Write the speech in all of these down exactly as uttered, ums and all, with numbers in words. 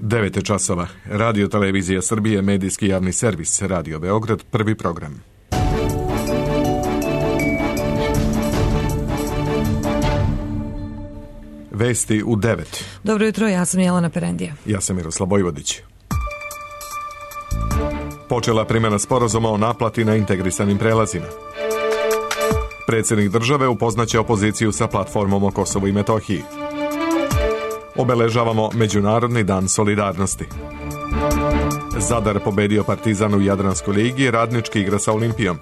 devet je časova. Radio Televizija Srbije, medijski javni servis, Radio Beograd, prvi program. Vesti u devet. Dobro jutro, ja sam Jelena Perendija. Ja sam Miroslav Vojvodić. Počela primjena sporazuma o naplati na integrisanim prelazima. Predsjednik države upoznaće opoziciju sa platformom o Kosovu i Metohiji. Obeležavamo Međunarodni dan solidarnosti. Zadar pobedio Partizan u Jadranskoj ligi, Radnički igra sa Olimpijom.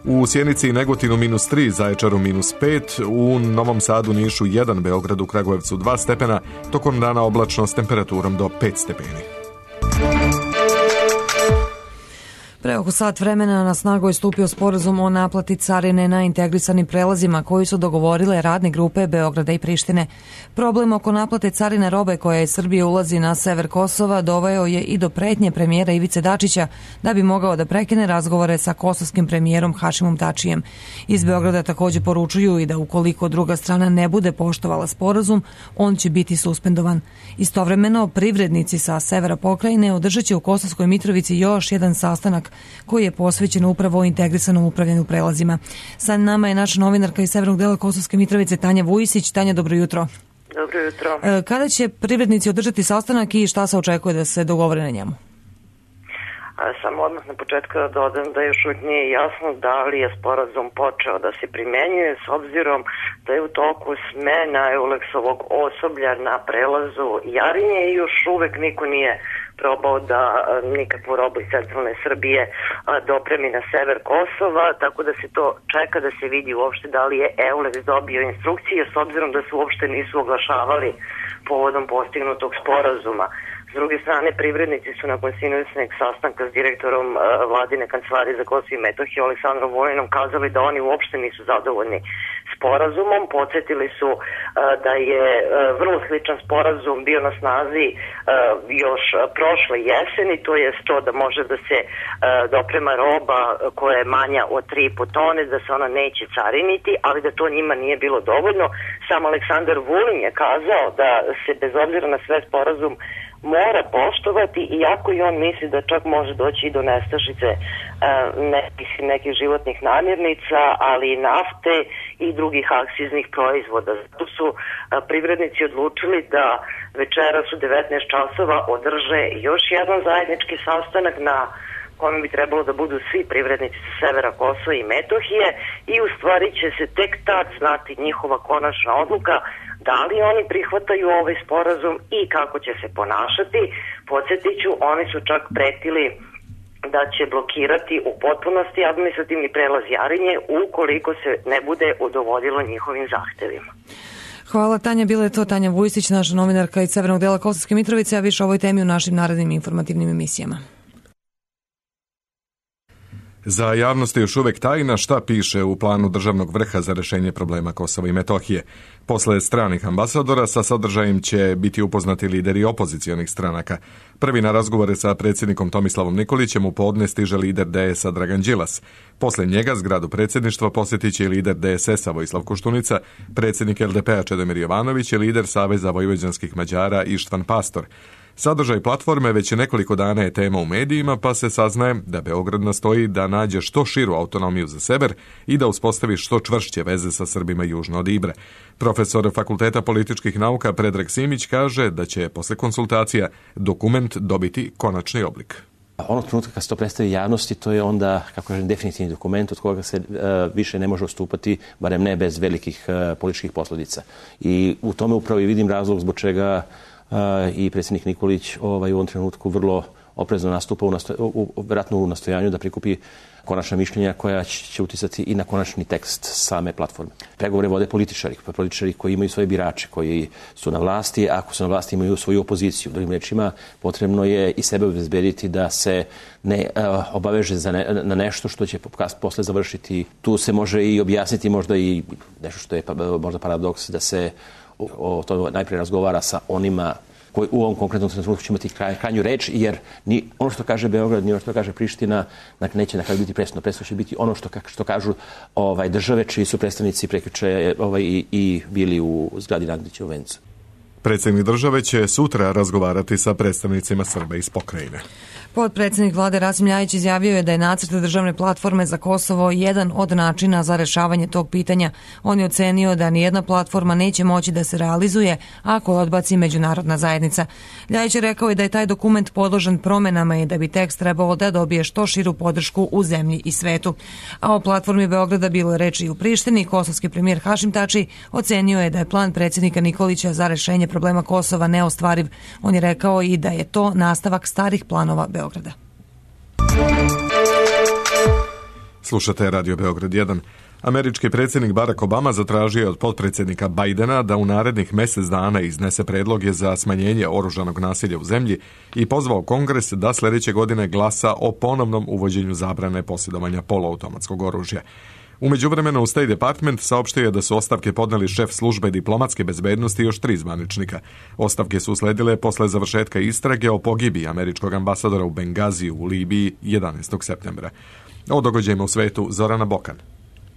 U Sjenici i Negotinu minus tri, Zaječaru minus pet, u Novom Sadu, Nišu jedan, Beogradu, Kragujevcu dva stepena, tokom dana oblačno s temperaturom do pet stepeni. Pre oko sat vremena na snagu je stupio sporazum o naplati carine na integrisanim prelazima koji su dogovorile radne grupe Beograda i Prištine. Problem oko naplate carine robe koja iz Srbije ulazi na sever Kosova doveo je i do pretnje premijera Ivice Dačića da bi mogao da prekine razgovore sa kosovskim premijerom Hašimom Tačijem. Iz Beograda također poručuju i da ukoliko druga strana ne bude poštovala sporazum, on će biti suspendovan. Istovremeno, privrednici sa severa pokrajine održat će u Kosovskoj Mitrovici još jedan sastanak koji je posvećen upravo integrisanom upravljanju prelazima. Sa nama je naša novinarka iz severnog dela Kosovske Mitrovice, Tanja Vujisić. Tanja, dobro jutro. Dobro jutro. Kada će privrednici održati sastanak i šta se očekuje da se dogovore na njemu? Samo odmah na početku da dodam da još uvijek nije jasno da li je sporazum počeo da se primenjuje, s obzirom da je u toku smena Euleksovog osoblja na prelazu Jarinje i još uvijek niko nije probao da nikakvu robu iz centralne Srbije dopremi na sever Kosova, tako da se to čeka da se vidi uopšte da li je Euleks dobio instrukcije, s obzirom da se uopšte nisu oglašavali povodom postignutog sporazuma. S druge strane, privrednici su nakon sinoćnog sastanka s direktorom uh, vladine kancelarije za Kosovo i Metohiju Aleksandrom Vulinom kazali da oni uopšte nisu zadovoljni sporazumom. Podsjetili su uh, da je uh, vrlo sličan sporazum bio na snazi uh, još prošle jeseni, to je to da može da se uh, doprema roba koja je manja od tri i po tone, da se ona neće cariniti, ali da to njima nije bilo dovoljno. Sam Aleksandar Vulin je kazao da se bez obzira na sve sporazum mora poštovati, iako i on misli da čak može doći i do nestašice uh, nekih, nekih životnih namirnica, ali i nafte i drugih akciznih proizvoda. Zato su uh, privrednici odlučili da večeras u devetnaest časova održe još jedan zajednički sastanak na kome bi trebalo da budu svi privrednici sa severa Kosova i Metohije i u stvari će se tek tad znati njihova konačna odluka da li oni prihvataju ovaj sporazum i kako će se ponašati. Podsjetit ću, oni su čak pretili da će blokirati u potpunosti administrativni prelaz Jarinje ukoliko se ne bude udovoljilo njihovim zahtevima. Hvala, Tanja. Bila je to Tanja Vujisić, naša novinarka iz severnog dela Kosovske Mitrovice, a više o ovoj temi u našim narednim informativnim emisijama. Za javnost je još uvijek tajna šta piše u planu državnog vrha za rješenje problema Kosova i Metohije. Posle stranih ambasadora sa sadržajem će biti upoznati lideri opozicionih stranaka. Prvi na razgovore sa predsjednikom Tomislavom Nikolićem u podne stiže lider D S A Dragan Đilas. Posle njega zgradu predsjedništva posjetit će i lider D S S-a Vojislav Koštunica, predsjednik L D P-a Čedomir Jovanović i lider Saveza vojvođanskih Mađara Ištvan Pastor. Sadržaj platforme već nekoliko dana je tema u medijima, pa se saznaje da Beograd nastoji da nađe što širu autonomiju za sever i da uspostavi što čvršće veze sa Srbima južno od Ibre. Profesor Fakulteta političkih nauka Predrag Simić kaže da će posle konsultacija dokument dobiti konačni oblik. Onog trenutka kad se to predstavi javnosti, to je onda, kako kažem, definitivni dokument od koga se uh, više ne može odstupati, barem ne bez velikih uh, političkih posljedica. I u tome upravo i vidim razlog zbog čega uh, i predsjednik Nikolić ovaj, u ovom trenutku vrlo oprezno nastupa u, nasto, u, u, vjerojatno u nastojanju da prikupi konačna mišljenja koja će uticati i na konačni tekst same platforme. Pregovore vode političari, političari koji imaju svoje birače, koji su na vlasti, ako su na vlasti imaju svoju opoziciju. Drugim rečima, potrebno je i sebe obezbediti da se ne uh, obaveže za ne, na nešto što će posle završiti. Tu se može i objasniti možda i nešto što je pa, možda paradoks, da se o, o to najprije razgovara sa onima koji u ovom konkretnom trenutku će imati kraj, krajnju reč, jer ni ono što kaže Beograd, ni ono što kaže Priština, dakle, neće na kraju biti presudno. Presudno će biti ono što, što kažu ovaj, države, čiji su predstavnici prekjuče ovaj, i, i bili u zgradi Nagdića u Vencu. Predsjednik države će sutra razgovarati sa predstavnicima Srba iz pokrajine. Potpredsjednik vlade Rasim Ljajić izjavio je da je nacrt državne platforme za Kosovo jedan od načina za rešavanje tog pitanja. On je ocenio da nijedna platforma neće moći da se realizuje ako je odbaci međunarodna zajednica. Ljajić je rekao i da je taj dokument podložen promenama i da bi tekst trebao da dobije što širu podršku u zemlji i svetu. A o platformi Beograda bilo je reči i u Prištini. Kosovski premijer Hašim Tači ocenio je da je plan predsjednika Nikolića za rešenje problema Kosova neostvariv. On je rekao i da je to nastavak starih planova Beograda. Slušate Radio Beograd jedan. Američki predsjednik Barack Obama zatražio je od potpredsjednika Bidena da u narednih mjesec dana iznese predloge za smanjenje oružanog nasilja u zemlji i pozvao Kongres da sljedeće godine glasa o ponovnom uvođenju zabrane posjedovanja poluautomatskog oružja. U međuvremenu State Department saopštio je da su ostavke podneli šef službe diplomatske bezbednosti i još tri zvaničnika. Ostavke su usledile posle završetka istrage o pogibiji američkog ambasadora u Bengaziju u Libiji jedanaestog septembra. O događajima u svetu Zorana Bokan.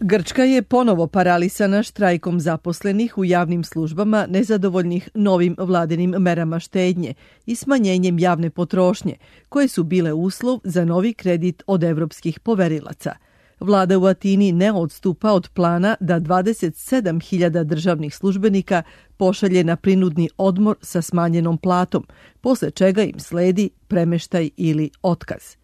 Grčka je ponovo paralisana štrajkom zaposlenih u javnim službama nezadovoljnih novim vladinim merama štednje i smanjenjem javne potrošnje, koje su bile uslov za novi kredit od evropskih poverilaca. Vlada u Atini ne odstupa od plana da dvadeset sedam hiljada državnih službenika pošalje na prinudni odmor sa smanjenom platom, posle čega im sledi premeštaj ili otkaz.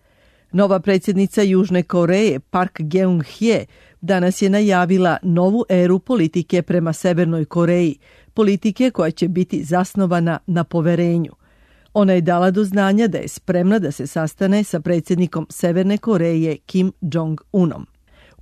Nova predsjednica Južne Koreje Park Geun-hye danas je najavila novu eru politike prema Severnoj Koreji, politike koja će biti zasnovana na poverenju. Ona je dala do znanja da je spremna da se sastane sa predsjednikom Severne Koreje Kim Jong-unom.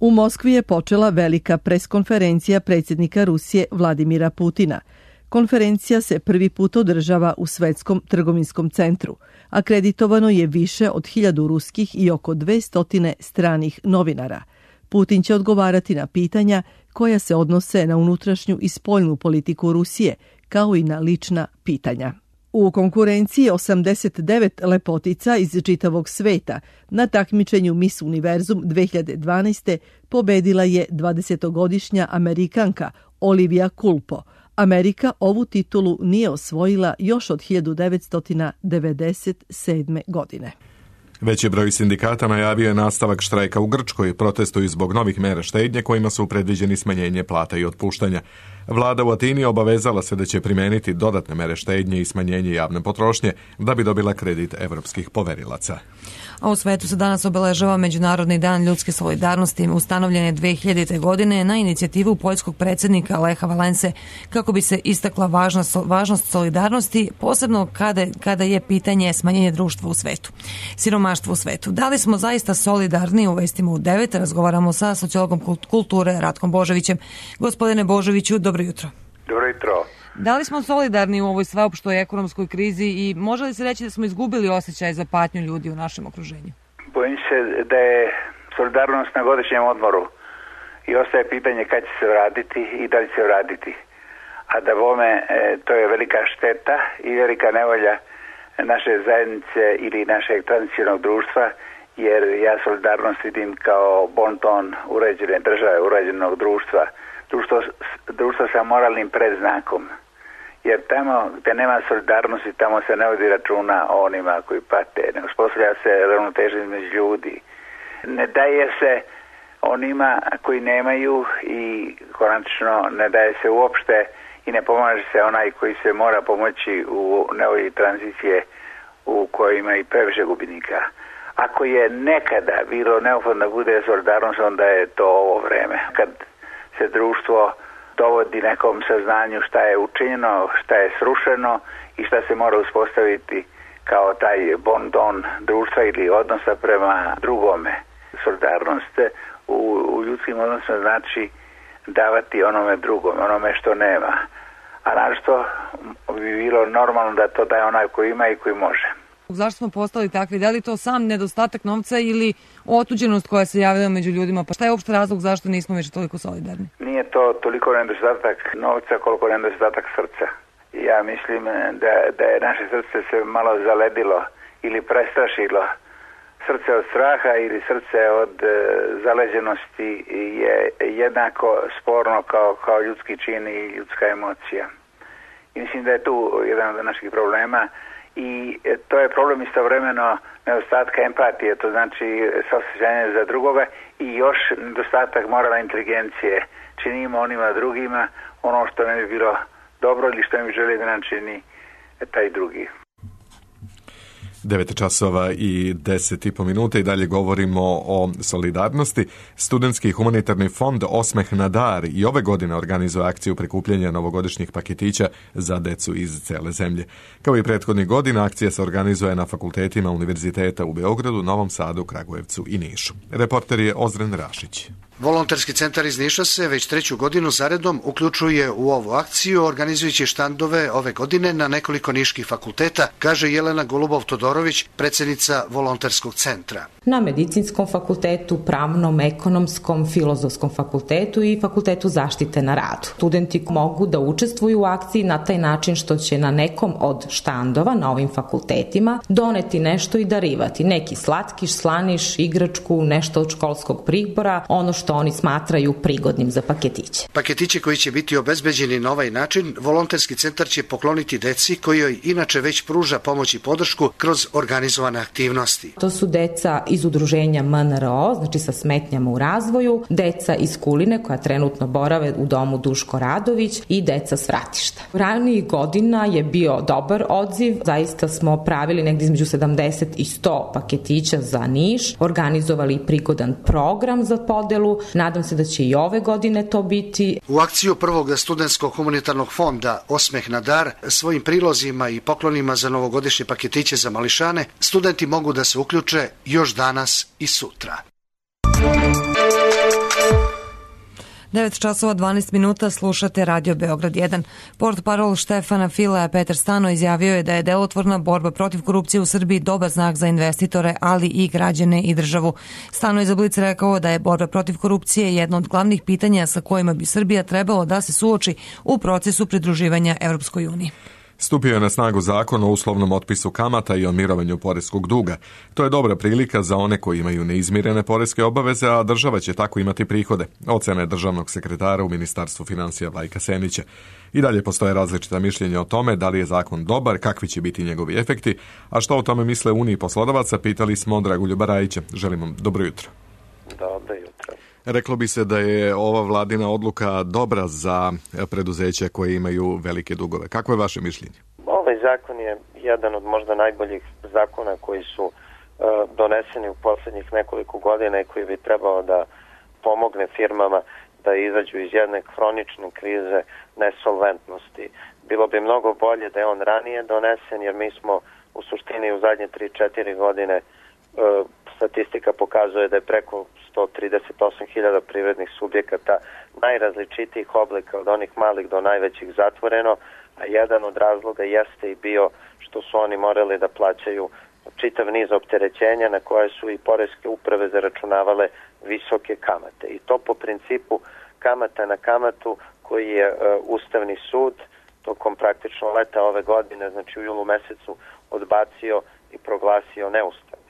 U Moskvi je počela velika preskonferencija predsjednika Rusije Vladimira Putina. Konferencija se prvi put održava u Svetskom trgovinskom centru. Akreditovano je više od hiljadu ruskih i oko dvesta stranih novinara. Putin će odgovarati na pitanja koja se odnose na unutrašnju i spoljnu politiku Rusije, kao i na lična pitanja. U konkurenciji osamdeset devet lepotica iz čitavog sveta na takmičenju Miss Univerzum dve hiljade dvanaeste pobedila je dvadesetogodišnja Amerikanka Olivia Culpo. Amerika ovu titulu nije osvojila još od hiljadu devetsto devedeset sedme. godine. Veći broj sindikata najavio je nastavak štrajka u Grčkoj, protestuju zbog novih mera štednje kojima su predviđeni smanjenje plata i otpuštanja. Vlada u Atini obavezala se da će primijeniti dodatne mere štednje i smanjenje javne potrošnje da bi dobila kredit evropskih poverilaca. A u svetu se danas obeležava Međunarodni dan ljudske solidarnosti, ustanovljen je dve hiljadite. godine na inicijativu poljskog predsjednika Lecha Valense kako bi se istakla važnost, važnost solidarnosti, posebno kada, kada je pitanje smanjenje društva u svetu, siromaštva u svetu. Da li smo zaista solidarni? U vestima u devet razgovaramo sa sociologom kulture Ratkom Božovićem. Gospodine Božoviću, dobro jutro. Dobro jutro. Da li smo solidarni u ovoj sveopštoj ekonomskoj krizi i može li se reći da smo izgubili osjećaj za patnju ljudi u našem okruženju? Bojim se da je solidarnost na godišnjem odmoru i ostaje pitanje kad će se vratiti i da li će se vratiti. A da bome to je velika šteta i velika nevolja naše zajednice ili našeg tradicionalnog društva, jer ja solidarnost vidim kao bonton uređene države, uređenog društva, društvo, društvo sa moralnim predznakom. Jer tamo gdje nema solidarnosti, tamo se ne vodi računa o onima koji pate, ne uspostavlja se ravnoteža između ljudi. Ne daje se onima koji nemaju i konačno ne daje se uopšte i ne pomaže se onaj koji se mora pomoći u nevolji tranzicije u kojoj ima i previše gubinika. Ako je nekada bilo neophodno da bude solidarnost, onda je to ovo vreme. Kad se društvo dovodi nekom saznanju šta je učinjeno, šta je srušeno i šta se mora uspostaviti kao taj bon don društva ili odnosa prema drugome. Solidarnost u, u ljudskim odnosima znači davati onome drugome, onome što nema. A našto bi bilo normalno da to daje onaj koji ima i koji može. Zašto smo postali takvi? Da li to sam nedostatak novca ili otuđenost koja se javlja među ljudima? Pa šta je uopšte razlog zašto nismo više toliko solidarni? Nije to toliko nedostatak novca koliko nedostatak srca. Ja mislim da, da je naše srce se malo zaledilo ili prestrašilo. Srce od straha ili srce od e, zaleđenosti je jednako sporno kao, kao ljudski čin i ljudska emocija. i mislim da je tu jedan od naših problema i to je problem istovremeno nedostatka empatije, to znači saosjećanje za drugoga i još nedostatak moralne inteligencije. Činimo onima drugima ono što ne bi bilo dobro ili što ne bi želi da nam čini taj drugi. devet časova i deset i po minuta i dalje govorimo o solidarnosti. Studentski humanitarni fond Osmeh na dar i ove godine organizuje akciju prikupljanja novogodišnjih paketića za decu iz cele zemlje. Kao i prethodnih godina, akcija se organizuje na fakultetima univerziteta u Beogradu, Novom Sadu, Kragujevcu i Nišu. Reporter je Ozren Rašić. Volonterski centar iz Niša se već treću godinu zaredom uključuje u ovu akciju, organizujući štandove ove godine na nekoliko niških fakulteta, kaže Jelena Golubov-Todorović, predsjednica Volonterskog centra. Na Medicinskom fakultetu, Pravnom, Ekonomskom, Filozofskom fakultetu i Fakultetu zaštite na radu. Studenti mogu da učestvuju u akciji na taj način što će na nekom od štandova na ovim fakultetima doneti nešto i darivati. Neki slatkiš, slaniš, igračku, nešto od školskog pribora, ono što oni smatraju prigodnim za paketiće. Paketiće koji će biti obezbeđeni na ovaj način, Volonterski centar će pokloniti deci kojoj inače već pruža pomoć i podršku kroz organizovane aktivnosti. To su deca iz udruženja M N R O, znači sa smetnjama u razvoju, deca iz Kuline koja trenutno borave u domu Duško Radović i deca s Vratišta. Ranijih godina je bio dobar odziv, zaista smo pravili negdje između sedamdeset i sto paketića za Niš, organizovali prigodan program za podelu. Nadam se da će i ove godine to biti. U akciju prvog studentskog humanitarnog fonda Osmeh na dar svojim prilozima i poklonima za novogodišnje paketiće za mališane studenti mogu da se uključe još danas i sutra. devet časova dvanaest minuta, slušate Radio Beograd jedan. Portparol Štefana Filea Petar Stano izjavio je da je delotvorna borba protiv korupcije u Srbiji dobar znak za investitore, ali i građane i državu. Stano je za Blic rekao da je borba protiv korupcije jedno od glavnih pitanja sa kojima bi Srbija trebalo da se suoči u procesu pridruživanja Evropskoj uniji. Stupio je na snagu zakon o uslovnom otpisu kamata i o mirovanju poreskog duga. To je dobra prilika za one koji imaju neizmirene poreske obaveze, a država će tako imati prihode. Ocena je državnog sekretara u Ministarstvu finansija Vlajka Senića. I dalje postoje različita mišljenja o tome da li je zakon dobar, kakvi će biti njegovi efekti, a što o tome misle Uniji poslodavaca, pitali smo Dragoljuba Rajića. Želim vam dobro jutro. Dobro jutro. Reklo bi se da je ova vladina odluka dobra za preduzeća koje imaju velike dugove. Kako je vaše mišljenje? Ovaj zakon je jedan od možda najboljih zakona koji su uh, doneseni u posljednjih nekoliko godina i koji bi trebao da pomogne firmama da izađu iz jedne hronične krize nesolventnosti. Bilo bi mnogo bolje da je on ranije donesen, jer mi smo u suštini u zadnje tri četiri godine uh, statistika pokazuje da je preko sto trideset osam hiljada privrednih subjekata najrazličitijih oblika od onih malih do najvećih zatvoreno, a jedan od razloga jeste i bio što su oni morali da plaćaju čitav niz opterećenja na koje su i poreske uprave zaračunavale visoke kamate. I to po principu kamata na kamatu koji je uh, Ustavni sud tokom praktično leta ove godine, znači u julu mesecu, odbacio i proglasio neustavnim.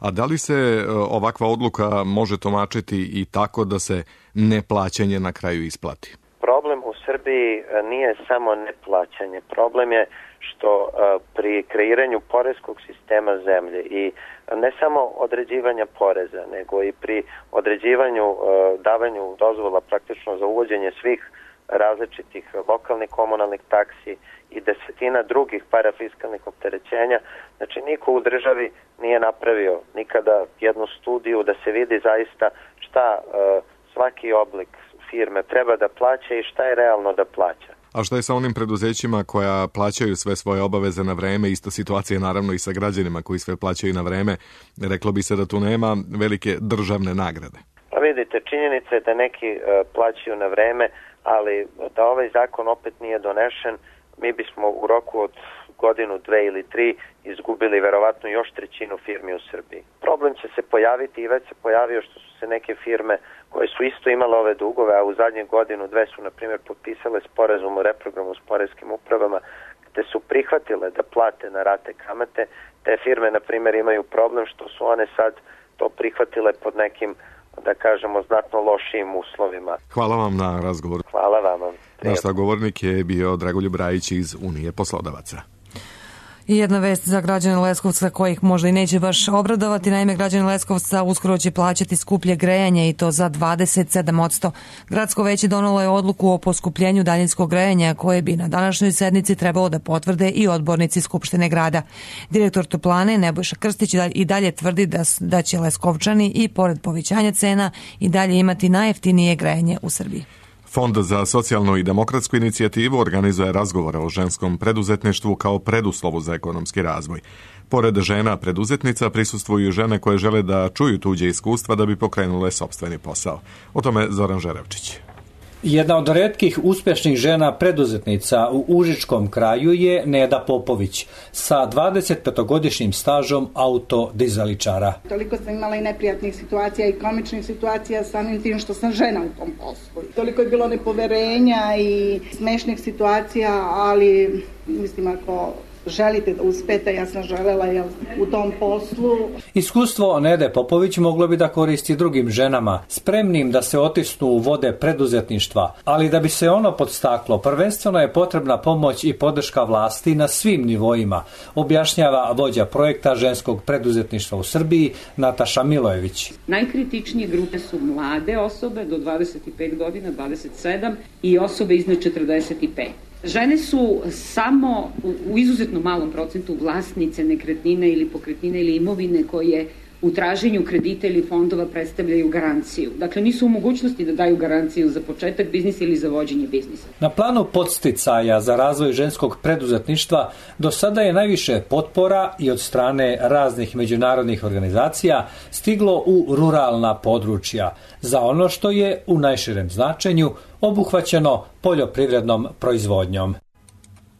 A da li se ovakva odluka može tumačiti i tako da se neplaćanje na kraju isplati? Problem u Srbiji nije samo neplaćanje. Problem je što pri kreiranju poreskog sistema zemlje i ne samo određivanja poreza, nego i pri određivanju, davanju dozvola praktično za uvođenje svih različitih lokalnih komunalnih taksi i desetina drugih parafiskalnih opterećenja. Znači, niko u državi nije napravio nikada jednu studiju da se vidi zaista šta uh, svaki oblik firme treba da plaća i šta je realno da plaća. A šta je sa onim preduzećima koja plaćaju sve svoje obaveze na vreme? Ista situacija je naravno i sa građanima koji sve plaćaju na vreme. Reklo bi se da tu nema velike državne nagrade. Pa vidite, činjenica je da neki uh, plaćaju na vreme, ali da ovaj zakon opet nije donešen, mi bismo u roku od godinu, dve ili tri izgubili verovatno još trećinu firmi u Srbiji. Problem će se pojaviti i već se pojavio što su se neke firme koje su isto imale ove dugove, a u zadnjih godinu, dve su, na primjer, potpisale sporazum o reprogramu s poreskim upravama, gde su prihvatile da plate na rate kamate. Te firme, na primjer, imaju problem što su one sad to prihvatile pod nekim da kažemo, znatno lošijim uslovima. Hvala vam na razgovoru. Hvala vam. Naš sagovornik je bio Dragoljub Rajić iz Unije poslodavaca. I jedna vest za građane Leskovca kojih možda i neće baš obradovati. Naime, građani Leskovca uskoro će plaćati skuplje grejanje i to za dvadeset sedam posto. Gradsko veće donelo je odluku o poskupljenju daljinskog grejanja koje bi na današnjoj sednici trebalo da potvrde i odbornici Skupštine grada. Direktor Toplane Nebojša Krstić i dalje tvrdi da, da će Leskovčani i pored povećanja cena i dalje imati najjeftinije grejanje u Srbiji. Fond za socijalnu i demokratsku inicijativu organizuje razgovore o ženskom preduzetništvu kao preduslovu za ekonomski razvoj. Pored žena preduzetnica prisustvuju žene koje žele da čuju tuđe iskustva da bi pokrenule sopstveni posao. O tome Zoran Žerevčić. Jedna od retkih uspješnih žena preduzetnica u Užičkom kraju je Neda Popović sa dvadesetpetogodišnjim stažom autodizaličara. Toliko sam imala i neprijatnih situacija i komičnih situacija samim tim što sam žena u tom poslu. Toliko je bilo nepoverenja i smešnih situacija, ali mislim ako želite da uspete, ja sam želela jel, u tom poslu. Iskustvo Nede Popović moglo bi da koristi drugim ženama, spremnim da se otisnu u vode preduzetništva, ali da bi se ono podstaklo, prvenstveno je potrebna pomoć i podrška vlasti na svim nivoima, objašnjava vođa projekta ženskog preduzetništva u Srbiji Nataša Milojević. Najkritičnije grupe su mlade osobe do dvadeset pet godina, dvadeset sedam i osobe iznad četrdeset pet. Žene su samo u izuzetno malom procentu vlasnice nekretnine ili pokretnine ili imovine koje u traženju kredita ili fondova predstavljaju garanciju. Dakle, nisu u mogućnosti da daju garanciju za početak biznisa ili za vođenje biznisa. Na planu podsticaja za razvoj ženskog preduzetništva do sada je najviše potpora i od strane raznih međunarodnih organizacija stiglo u ruralna područja za ono što je u najširem značenju obuhvaćeno poljoprivrednom proizvodnjom.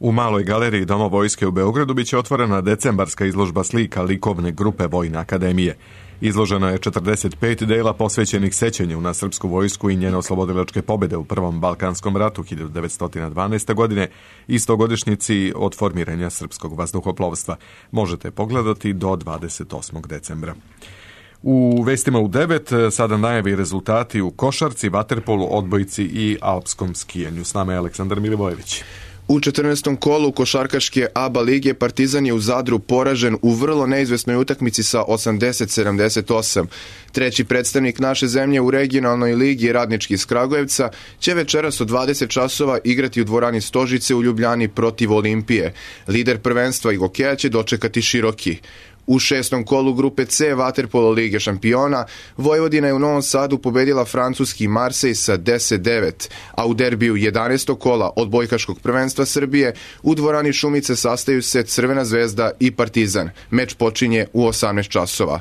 U Maloj galeriji Doma vojske u Beogradu biće otvorena decembarska izložba slika likovne grupe Vojne akademije. Izloženo je četrdeset pet dela posvećenih sećanju na srpsku vojsku i njene oslobodilačke pobjede u Prvom Balkanskom ratu hiljadu devetsto dvanaeste. godine i stogodišnjici od formiranja srpskog vazduhoplovstva. Možete pogledati do dvadeset osmog decembra. U vestima u devet sada najavi rezultati u košarci, vaterpolu, odbojci i alpskom skijanju. S nama je Aleksandar Milivojević. U četrnaestom kolu košarkaške A B A lige Partizan je u Zadru poražen u vrlo neizvesnoj utakmici sa osamdeset sedamdeset osam. Treći predstavnik naše zemlje u regionalnoj ligi Radnički iz Kragujevca će večeras od dvadeset časova igrati u dvorani Stožice u Ljubljani protiv Olimpije. Lider prvenstva i hokeja će dočekati Široki. U šestom kolu grupe C vaterpolo Lige šampiona Vojvodina je u Novom Sadu pobedila francuski Marsej sa deset devet, a u derbiju jedanaestog kola odbojkaškog prvenstva Srbije u dvorani Šumice sastaju se Crvena zvezda i Partizan. Meč počinje u osamnaest časova.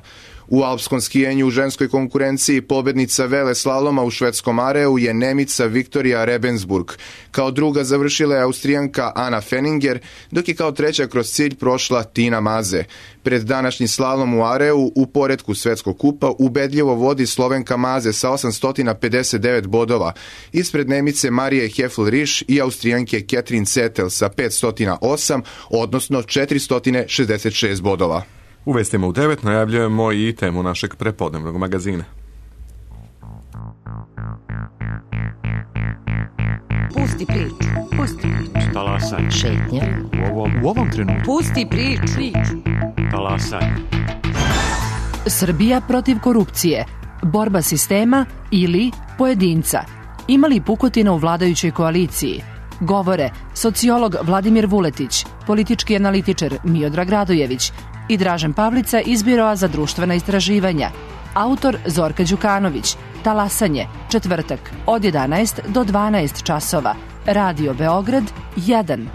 U alpskom skijenju u ženskoj konkurenciji pobednica vele slaloma u švedskom Areu je Nemica Viktorija Rebensburg. Kao druga završila je Austrijanka Ana Fenninger, dok je kao treća kroz cilj prošla Tina Maze. Pred današnji slalom u Areu u poretku svetskog kupa ubedljivo vodi Slovenka Maze sa osamsto pedeset devet bodova. Ispred Nemice Marije Hefl-Riš i Austrijanke Ketrin Cetel sa petsto osam, odnosno četiristo šezdeset šest bodova. U vestima u devet najavljujemo i temu našeg prepodnevnog magazina. Pusti priču. Pusti priču. Talasaj. Šetnja. U ovom, u ovom trenutku. Pusti priču. priču. Talasaj. Srbija protiv korupcije. Borba sistema ili pojedinca. Ima li pukotina u vladajućoj koaliciji? Govore sociolog Vladimir Vuletić, politički analitičar Miodrag Radojević i Dražen Pavlica iz Biroa za društvena istraživanja. Autor Zorka Đukanović. Talasanje, četvrtak, od jedanaest do dvanaest časova. Radio Beograd jedan.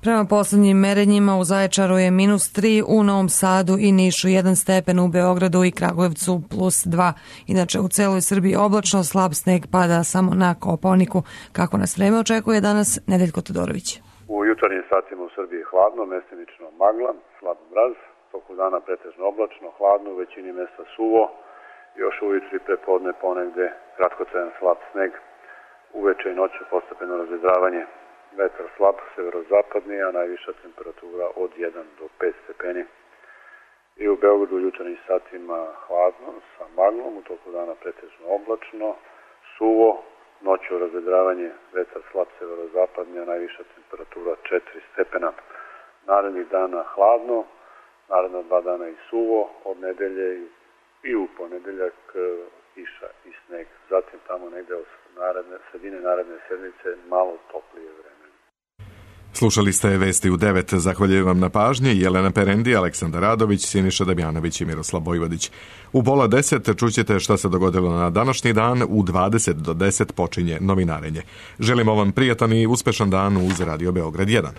Prema poslednjim merenjima u Zaječaru je minus tri, u Novom Sadu i Nišu jedan stepen, u Beogradu i Kragujevcu plus dva. Inače u celoj Srbiji oblačno, slab sneg pada samo na Kopaoniku. Kako nas vreme očekuje danas, Nedeljko Todorović. U jutarnjim satima u Srbiji hladno, mestimično magla, slab mraz, toku dana pretežno oblačno, hladno, u većini mesta suvo, još ujutru i prepodne ponegde kratkotrajan slab sneg, uveče i noću postepeno razvedravanje, vetar slab, severozapadni, a najviša temperatura od jedan do pet stepeni. I u Beogradu u jutarnjim satima hladno sa maglom, u toku dana pretežno oblačno, suvo, noću razvedravanje, vetar slab severozapadni, a najviša temperatura četiri stepena. Narednih dana hladno, naredna dva dana i suvo, od nedelje i u ponedeljak kiša i sneg. Zatim tamo negde od naredne, sredine naredne sedmice malo toplije vreme. Slušali ste Vesti u devet. Zahvaljujem vam na pažnji Jelena Perendi, Aleksandar Radović, Siniša Damjanović i Miroslav Vojvodić. U pola deset čućete šta se dogodilo na današnji dan. U dvadeset do deset počinje novinarenje. Želimo vam prijatan i uspešan dan uz Radio Beograd jedan.